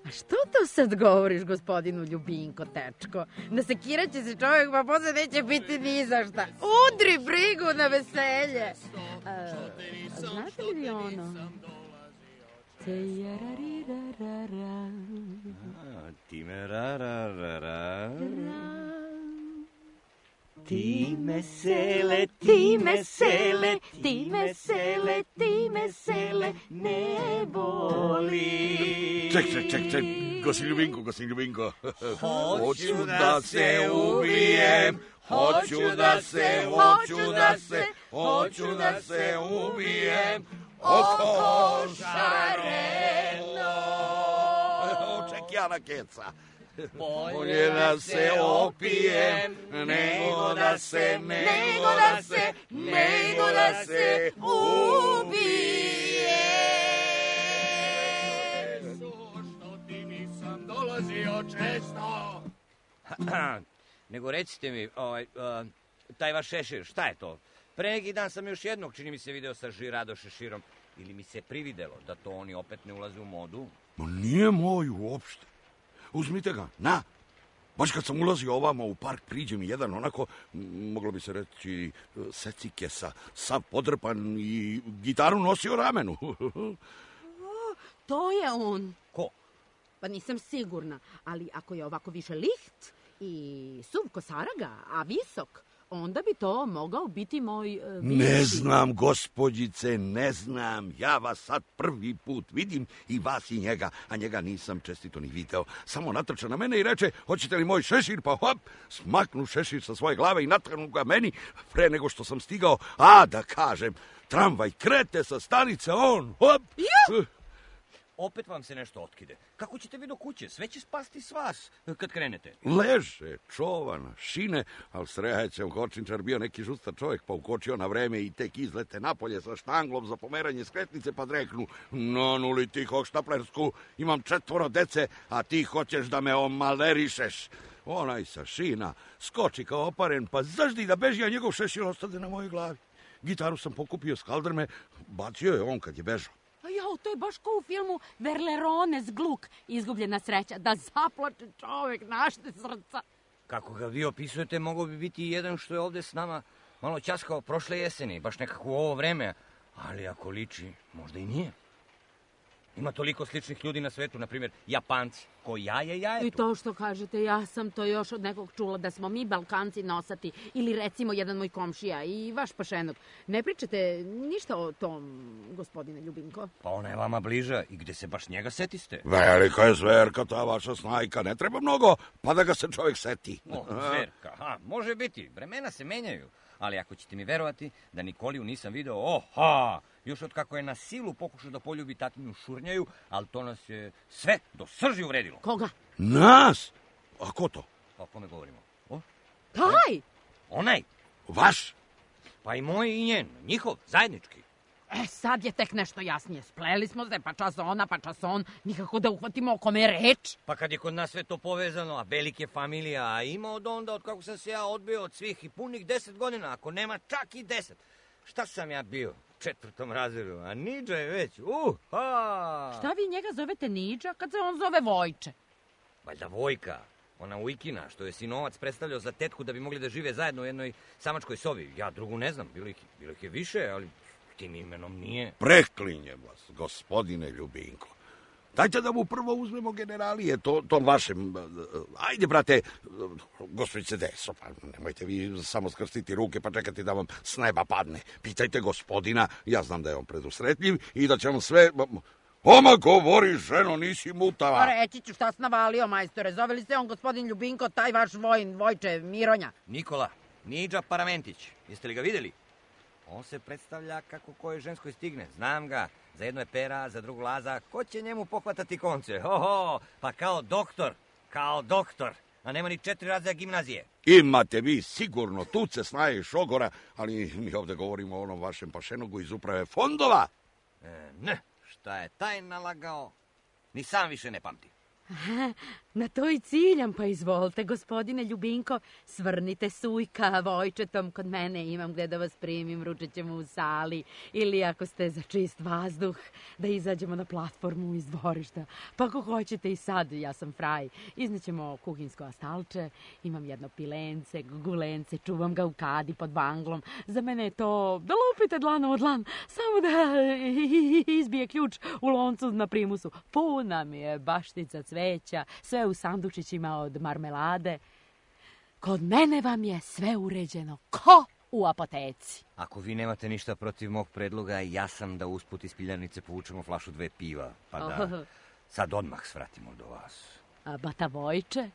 S4: A što to sad govoriš, gospodinu Ljubinko, tečko? Nasekiraće se čovjek, pa posle neće biti ni za šta. Udri brigu na veselje. Znate li vi ono?
S6: Time ra. Ti me sele, ti me sele, ti me sele, ti me sele, ne boli.
S7: Ček, gospodin Ljubinko. Hoću da se ubijem, hoću da se ubijem, oko šareno. Ček, Jana Keca. Bolje da se opijem, nego da se ubijem.
S5: Što ti nisam dolazio često.
S6: Nego recite mi, taj vaš šešir, šta je to? Pre neki dan sam još jednog, čini mi se, video sa Žirado šeširom. Ili mi se prividelo da to oni opet ne ulaze u modu?
S7: Ma nije moj uopšte. Uzmite ga, na. Baš kad sam ulazio ovamo u park, priđe mi jedan onako, moglo bi se reći, secikesa, sav podrpan i gitaru nosio u ramenu.
S4: To je on.
S6: Ko?
S4: Pa nisam sigurna, ali ako je ovako više liht i suv kosaraga, a visok, onda bi to mogao biti moj...
S7: Ne znam, gospođice, ne znam. Ja vas sad prvi put vidim, i vas i njega, a njega nisam čestito ni video. Samo natrča na mene i reče, hoćete li moj šešir, pa hop, smaknu šešir sa svoje glave i natrnu ga meni, pre nego što sam stigao, a da kažem, tramvaj krete sa stanice, on, hop.
S6: Opet vam se nešto otkide. Kako ćete vi do kuće? Sve će spasti s vas kad krenete.
S7: Leže, čovana, šine, ali srećem, kočničar bio neki žustar čovjek, pa ukočio na vreme i tek izlete napolje sa štanglom za pomeranje skretnice, pa dreknu, nuli ti hoštaplersku, imam 4 dece, a ti hoćeš da me omalerišeš. Onaj sa šina skoči kao oparen, pa zaždi da beži, a njegov šešir ostade na mojoj glavi. Gitaru sam pokupio s kaldrme, bacio je on kad je bežao.
S4: Jao, to je baš kao u filmu Verlerones Gluk, izgubljena sreća, da zaplače čovjek, našte srca.
S6: Kako ga vi opisujete, mogao bi biti jedan što je ovde s nama malo ćaskao prošle jeseni, baš nekako u ovo vreme, ali ako liči, možda i nije. Ima toliko sličnih ljudi na svetu, na primjer Japanci. Ko jaje, jaje.
S4: I to što kažete, ja sam to još od nekog čula da smo mi Balkanci nosati, ili recimo jedan moj komšija i vaš pašenok. Ne pričate ništa o tom, gospodine Ljubinko?
S6: Pa ona je vama bliža i gde se baš njega setiste?
S7: Velika je zverka ta vaša Snajka, ne treba mnogo, pa da ga se čovjek seti.
S6: O, zverka, može biti, vremena se menjaju. Ali ako ćete mi verovati da Nikoliju nisam video, još od kako je na silu pokušao da poljubi tatinu Šurnjaju, ali to nas je sve do srži uvredilo.
S4: Koga?
S7: Nas? A ko to?
S6: Pa o kome govorimo?
S4: Taj!
S6: Onaj.
S7: Vaš?
S6: Pa i moj i njen, njihov, zajednički.
S4: Sad je tek nešto jasnije. Spleli smo se, pa čas ona, pa čas on. Nikako da uhvatimo o kome je reč.
S6: Pa kad je kod nas sve to povezano, a velike familija, a ima od onda, od kako sam se ja odbio od svih i punih 10 godina, ako nema čak i 10. Šta sam ja bio? 4. razredu, a Niđa je već,
S4: Šta vi njega zovete Niđa kad se on zove Vojče?
S6: Valjda Vojka, ona Ujkina, što je sinovac predstavljao za tetku da bi mogli da žive zajedno u jednoj samačkoj sobi. Ja drugu ne znam, bilo ih je više, ali tim imenom nije.
S7: Preklinjem vas, gospodine Ljubinko. Dajte da mu prvo uzmemo generalije, tom vašem... Ajde, brate, gospođice Deso, pa nemojte vi samo skrstiti ruke pa čekati da vam s neba padne. Pitajte gospodina, ja znam da je on predusretljiv i da će vam sve... Oma, govori, ženo, nisi mutava.
S4: Pa reći ću šta si navalio, majstore. Zove li se on gospodin Ljubinko, taj vaš Vojče Mironja?
S6: Nikola, Niđa Paramentić. Jeste li ga vidjeli? On se predstavlja kako kojoj ženskoj stigne. Znam ga. Za jedno je Pera, za drugu Laza. Ko će njemu pohvatati konce? Pa kao doktor. A nema ni 4 razreda gimnazije.
S7: Imate vi sigurno tuce, snaje i šogora, ali mi ovdje govorimo o onom vašem pašenogu iz uprave fondova.
S6: Ne, šta je taj nalagao, ni sam više ne pamti.
S4: Na to i ciljam, pa izvolite, gospodine Ljubinko, svrnite sujka Vojčetom kod mene, imam gde da vas primim, ručat ćemo u sali, ili ako ste za čist vazduh, da izađemo na platformu iz dvorišta. Pa ako hoćete i sad, ja sam fraj, iznećemo kuhinjsko astalče, imam jedno pilence, gulence, čuvam ga u kadi pod banglom, za mene je to da lupite dlanu od dlan, samo da izbije ključ u loncu na primusu. Puna mi je baštica cveća, sve u sandučićima od marmelade. Kod mene vam je sve uređeno, ko u apoteci.
S6: Ako vi nemate ništa protiv mog predloga, ja sam da usput iz piljanice povučemo flašu 2 piva, pa da sad odmah svratimo do vas.
S4: A bata Vojče?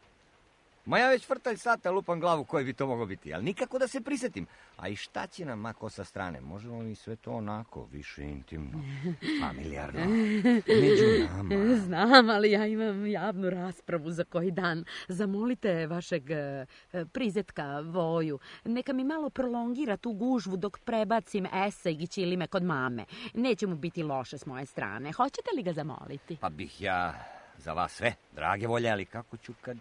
S6: Ma ja već vrtalj sata lupam glavu koji bi to moglo biti, ali nikako da se prisetim. A i šta će nam mako sa strane? Možemo li sve to onako, više intimno, familijarno, među nama?
S4: Znam, ali ja imam javnu raspravu za koji dan. Zamolite vašeg prizetka Voju. Neka mi malo prolongira tu gužvu dok prebacim esej i ćilime kod mame. Neće mu biti loše s moje strane. Hoćete li ga zamoliti?
S6: Pa bih ja za vas sve, drage volje, ali kako ću kad...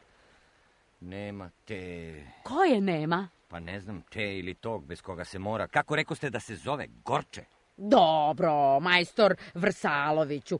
S6: Nema te...
S4: Koje nema?
S6: Pa ne znam, te ili tog bez koga se mora. Kako rekoste da se zove? Gorče?
S4: Dobro, majstor Vrsaloviću.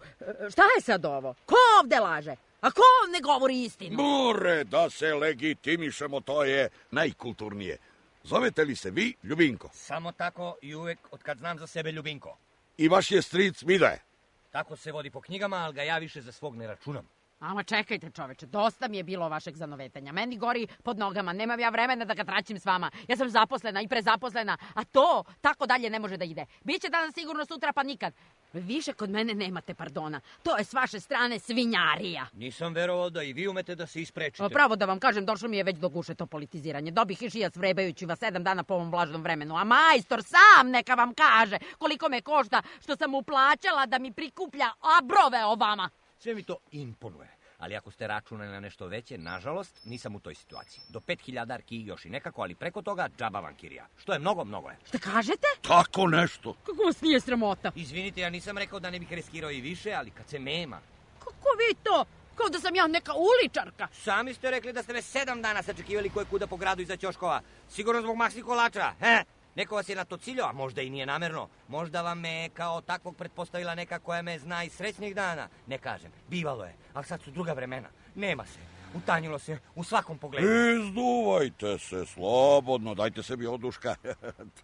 S4: Šta je sad ovo? Ko ovde laže? A ko ne govori istinu?
S7: More da se legitimišemo, to je najkulturnije. Zovete li se vi Ljubinko?
S6: Samo tako i uvek od kad znam za sebe Ljubinko.
S7: I vaš je stric Midaje?
S6: Tako se vodi po knjigama, ali ga ja više za svog ne računam.
S4: Ama čekajte, čoveče, dosta mi je bilo vašeg zanovetanja. Meni gori pod nogama, nemam ja vremena da ga traćim s vama. Ja sam zaposlena i prezaposlena, a to tako dalje ne može da ide. Biće danas sigurno, sutra pa nikad. Više kod mene nemate pardona. To je s vaše strane svinjarija.
S6: Nisam verovao da i vi umete da se isprečite.
S4: Pravo da vam kažem, došlo mi je već do guše to politiziranje. Dobih i šijac vrebajući vas 7 dana po ovom vlažnom vremenu. A majstor sam neka vam kaže koliko me košta što sam mu plaćala da mi prikuplja brove o vama.
S6: Sve mi to imponuje, ali ako ste računali na nešto veće, nažalost, nisam u toj situaciji. Do 5000 arki još i nekako, ali preko toga džaba vam kirija. Što je mnogo je.
S4: Šta kažete?
S7: Tako nešto.
S4: Kako vas nije sramota?
S6: Izvinite, ja nisam rekao da ne bih riskirao i više, ali kad se nema.
S4: Kako vi to? Kao da sam ja neka uličarka.
S6: Sami ste rekli da ste me 7 dana sačekivali koje kuda po gradu iza ćoškova. Sigurno zbog maksi kolača, he? Neko vas je na to ciljao, a možda i nije namerno. Možda vam me kao takvog pretpostavila neka koja me zna iz srećnih dana. Ne kažem, bivalo je, ali sad su druga vremena. Nema se. Utanjilo se u svakom pogledu.
S7: Izduvajte se slobodno, dajte sebi oduška.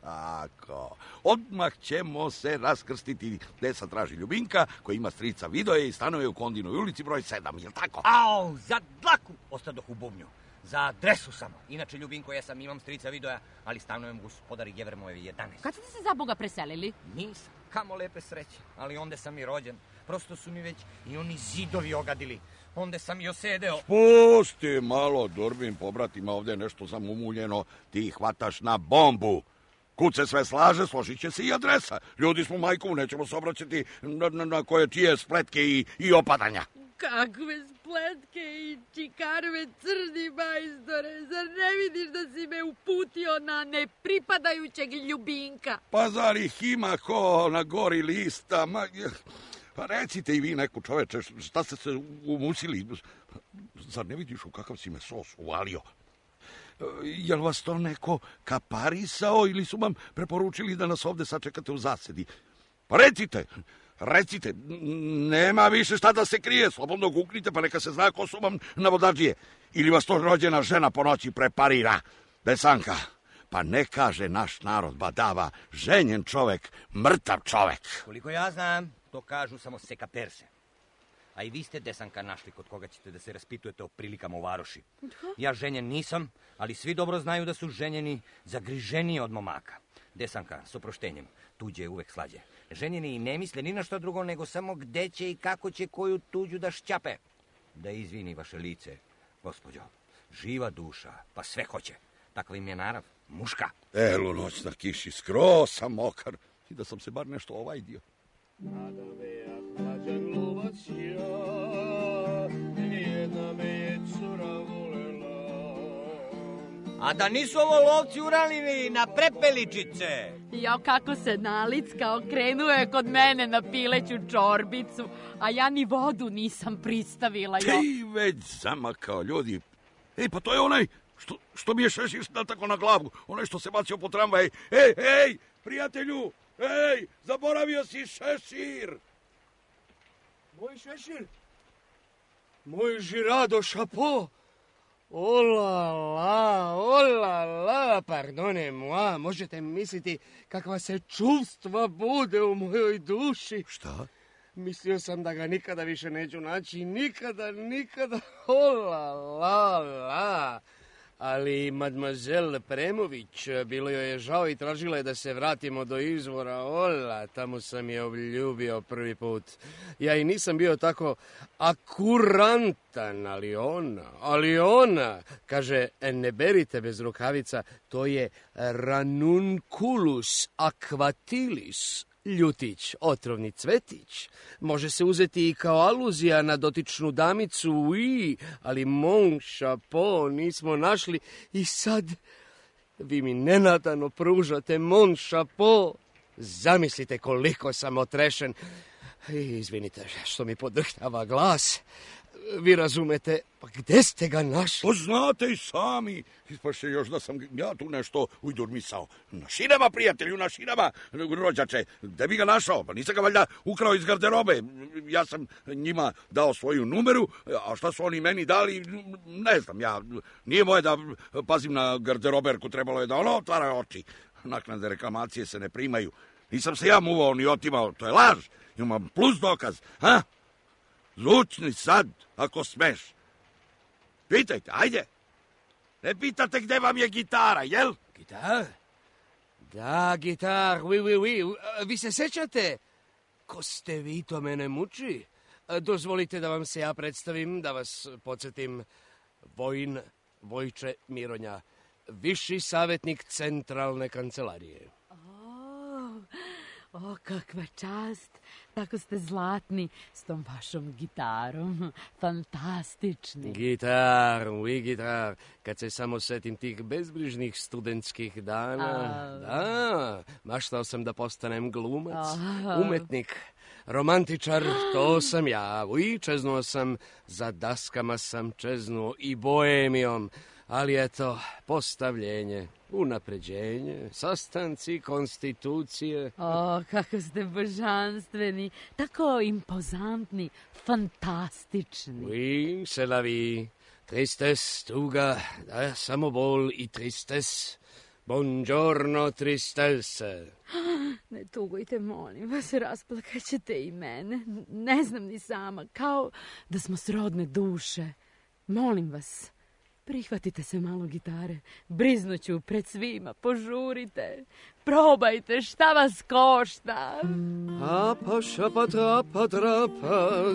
S7: Tako. Odmah ćemo se raskrstiti. Desa traži Ljubinka, koji ima strica Vidoje i stanuje u Kondinoj ulici broj 7, jel tako?
S6: Au, za dlaku ostadoh u bubnju. Za adresu samo. Inače, Ljubinko, ja sam imam strica Vidoja, ali stanujem gospodari Jevremojeve 11.
S4: Kad ste se za Boga preselili?
S6: Nisam, kamo lepe sreće, ali onda sam i rođen. Prosto su mi već i oni zidovi ogadili. Onda sam i osedeo.
S7: Pusti malo, Durbin, pobratima, ovdje je nešto zamumuljeno. Ti hvataš na bombu. Kud se sve slaže, složit će se i adresa. Ljudi smo, majku, nećemo se obraćati na koje čije spletke i opadanja.
S4: Kakve spletke i čikarve, crni majstore, zar ne vidiš da si me uputio na nepripadajućeg Ljubinka?
S7: Pa zar ih ima ko na gori lista? Pa recite i vi neku, čoveče, šta ste se umusili? Zar ne vidiš u kakav si me sos uvalio? Jel vas to neko kaparisao ili su vam preporučili da nas ovde sačekate u zasedi? Pa recite, nema više šta da se krije, slobodno guknite pa neka se zna ko su vam navodađije. Ili vas to rođena žena po noći preparira. Desanka, pa ne kaže naš narod badava, ženjen čovek, mrtav čovek.
S6: Koliko ja znam, to kažu samo sekaperse. A i vi ste, Desanka, našli kod koga ćete da se raspitujete o prilikama u varoši. Ja ženjen nisam, ali svi dobro znaju da su ženjeni zagriženiji od momaka. Desanka, s oproštenjem, tuđe je uvek slađe. Ženjeni i ne misle ni na što drugo, nego samo gde će i kako će koju tuđu da šćape. Da izvini vaše lice, gospođo, živa duša, pa sve hoće. Takva im je narav, muška.
S7: Elu noć na kiši, skroz sam mokar. I da sam se bar nešto ovajdio.
S5: Mlađan lovac ja, nijedna me je cura volela.
S6: A da nisu ovo lovci uranili na prepeličice?
S4: Jo, kako se nalickao, krenuo je kod mene na pileću čorbicu, a ja ni vodu nisam pristavila, jo.
S7: Ti već zamakao, ljudi. Ej, pa to je onaj što mi je šešir tako na glavu. Onaj što se bacio po tramvaj. Ej, prijatelju, ej, zaboravio si šešir.
S5: Moj šešir? Moj žirado šapo? Ola la, pardone moi, možete misliti kakva se čuvstva bude u mojoj duši.
S7: Šta?
S5: Mislio sam da ga nikada više neću naći, nikada, ola la. Ali mademoiselle Premović, bilo joj je žao i tražila je da se vratimo do izvora. Ola, tamo sam je obljubio prvi put. Ja i nisam bio tako akurantan, ali ona, kaže, ne berite bez rukavica, to je ranunculus aquatilis, ljutić, otrovni cvetić. Može se uzeti i kao aluzija na dotičnu damicu, oui, ali mon chapeau nismo našli i sad vi mi nenadano pružate mon chapeau. Zamislite koliko sam otrešen. Izvinite što mi podrhtava glas. Vi razumete, pa gde ste ga našli?
S7: To znate i sami. Ispaše još da sam ja tu nešto ujdurmisao. Na šinama, prijatelju, na šinama, rođače. Gde bi ga našao? Pa nisam ga valjda ukrao iz garderobe. Ja sam njima dao svoju numeru, a šta su oni meni dali, ne znam ja. Nije moje da pazim na garderoberku, trebalo je da ono otvara oči. Naknade reklamacije se ne primaju. Nisam se ja muvao ni otimao, to je laž. Imam plus dokaz, ha? Zvučni sad, ako smeš. Pitajte, ajde. Ne pitate gde vam je gitara, jel?
S5: Gitar? Da, gitar, oui. Vi se sećate? Ko ste vi, to mene muči. Dozvolite da vam se ja predstavim, da vas podsjetim. Vojče Mironja, viši savjetnik centralne kancelarije.
S4: O, kakva čast. Tako ste zlatni s tom vašom gitarom. Fantastični.
S5: Gitar, oui, gitar. Kad se samo setim tih bezbrižnih studentskih dana. Da, maštao sam da postanem glumac, umetnik, romantičar, to sam ja. Oui, čeznuo sam, za daskama sam čeznuo i boemijom. Ali eto, postavljenje, unapređenje, sastanci, konstitucije.
S4: O, kako ste božanstveni, tako impozantni, fantastični.
S5: Oui, c'est la vie. Tristes, tuga, samo bol i tristes. Buongiorno, tristesse.
S4: Ne tugujte, molim vas, rasplakaćete i mene. Ne znam ni sama, kao da smo srodne duše. Molim vas, prihvatite se malo gitare. Briznuću pred svima, požurite. Probajte, šta vas košta?
S5: Apa, šapa, trapa, trapa,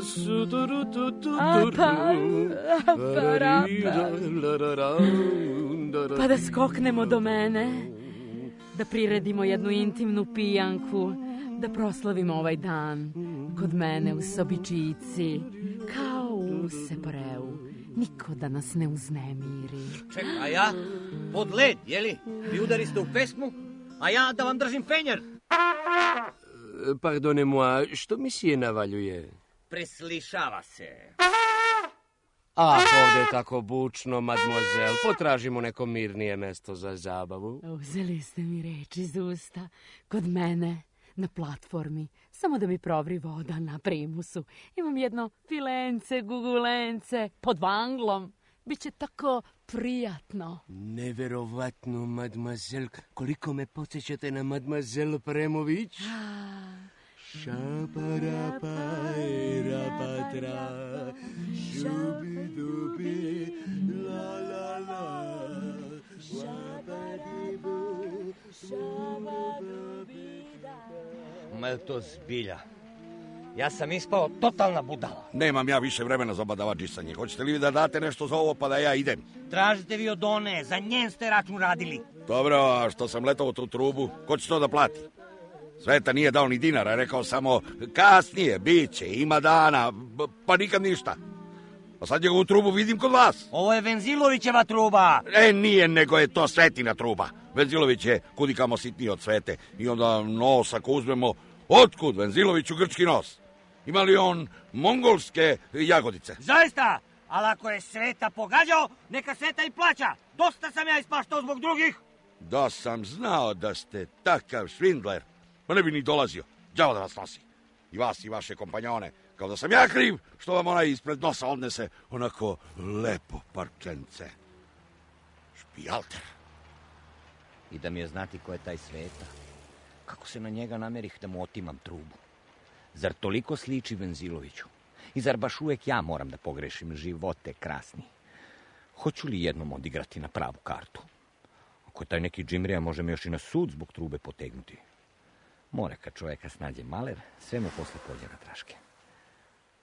S4: Pa da skoknemo do mene, da priredimo jednu intimnu pijanku, da proslavimo ovaj dan kod mene u sobičici, kao u Seporeu. Niko da nas ne uznemiri.
S6: Čekaj, a ja pod led, jeli? Vi udariste u pesmu, a ja da vam držim fenjer.
S5: Pardonnez-moi, što mi sije navaljuje?
S6: Preslišava se.
S5: Ovdje je tako bučno, mademoiselle. Potražimo neko mirnije mesto za zabavu.
S4: Uzeli ste mi reč iz usta. Kod mene, na platformi, samo da mi provri voda na primusu. Imam jedno filence, gugulence, pod vanglom. Biće tako prijatno.
S5: Neverovatno, mademoiselle. Koliko me podsjećate na mademoiselle Premović? Šaparapa, rapatra, šubidubi, la la la, šapadibu,
S6: Ma je to zbilja? Ja sam ispao totalna budala.
S7: Nemam ja više vremena za badavađisanje. Hoćete li vi da date nešto za ovo pa da ja idem?
S6: Tražite vi od one, za njen ste račun radili.
S7: Dobro, a što sam letao u tu trubu, ko će to da plati? Sveta nije dao ni dinara, rekao samo kasnije, bit će, ima dana, pa nikad ništa. A sad njegovu trubu vidim kod vas.
S6: Ovo je Venzilovićeva truba.
S7: Nije, nego je to Svetina truba. Venzilović je kudikamo sitniji od Svete. I onda nos, ako uzmemo, otkud Venziloviću grčki nos? Ima li on mongolske jagodice?
S6: Zaista, ali ako je Sveta pogađao, neka Sveta i plaća. Dosta sam ja ispaštao zbog drugih.
S7: Da sam znao da ste takav švindler, pa ne bi ni dolazio. Đavo da vas nosi. I vas i vaše kompanjone. Kao da sam ja kriv što vam onaj ispred nosa odnese onako lepo parčence. Špijalter.
S3: I da mi je znati ko je taj Sveta. Kako se na njega namerih da mu otimam trubu? Zar toliko sliči Venziloviću? I zar baš uvek ja moram da pogrešim živote krasni? Hoću li jednom odigrati na pravu kartu? Ako je taj neki džimrija, može me još i na sud zbog trube potegnuti. More kad čoveka snađe maler, sve mu posle pođe na traške.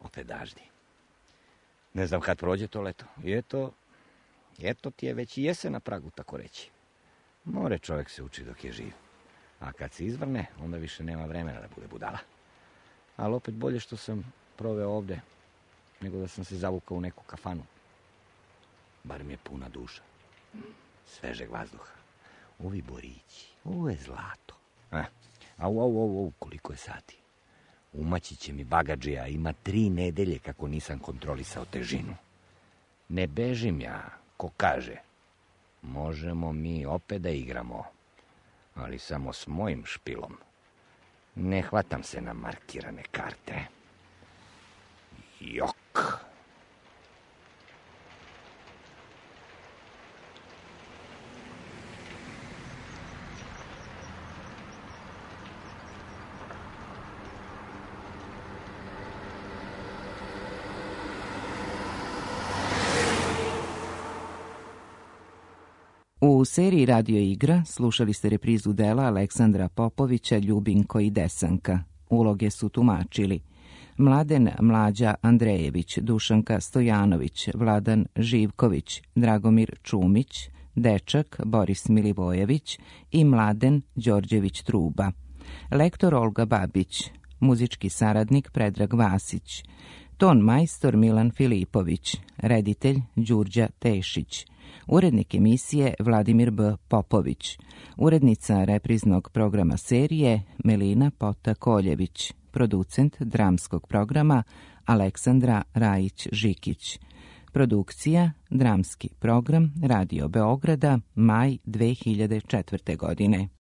S3: Opet daždi. Ne znam kad prođe to leto. I eto ti je već i jesen na pragu, tako reći. More čovek se uči dok je živ. A kad se izvrne, onda više nema vremena da bude budala. Ali opet bolje što sam proveo ovde, nego da sam se zavukao u neku kafanu. Bar mi je puna duša. Svežeg vazduha. Ovi borići, ovo je zlato. Au, koliko je sati. Umaći će mi bagadžija, ima 3 nedelje kako nisam kontrolisao težinu. Ne bežim ja, ko kaže. Možemo mi opet da igramo, ali samo s mojim špilom. Ne hvatam se na markirane karte. Jok.
S2: U seriji Radio igra slušali ste reprizu dela Aleksandra Popovića Ljubinko i Desanka. Uloge su tumačili Mladen Mlađa Andrejević, Dušanka Stojanović, Vladan Živković, Dragomir Čumić, Dečak Boris Milivojević i Mladen Đorđević Truba. Lektor Olga Babić, muzički saradnik Predrag Vasić, ton majstor Milan Filipović, reditelj Đurđa Tešić, urednik emisije Vladimir B. Popović, urednica repriznog programa serije Melina Pota-Koljević, producent dramskog programa Aleksandra Rajić-Žikić. Produkcija, dramski program Radio Beograda, maj 2004. godine.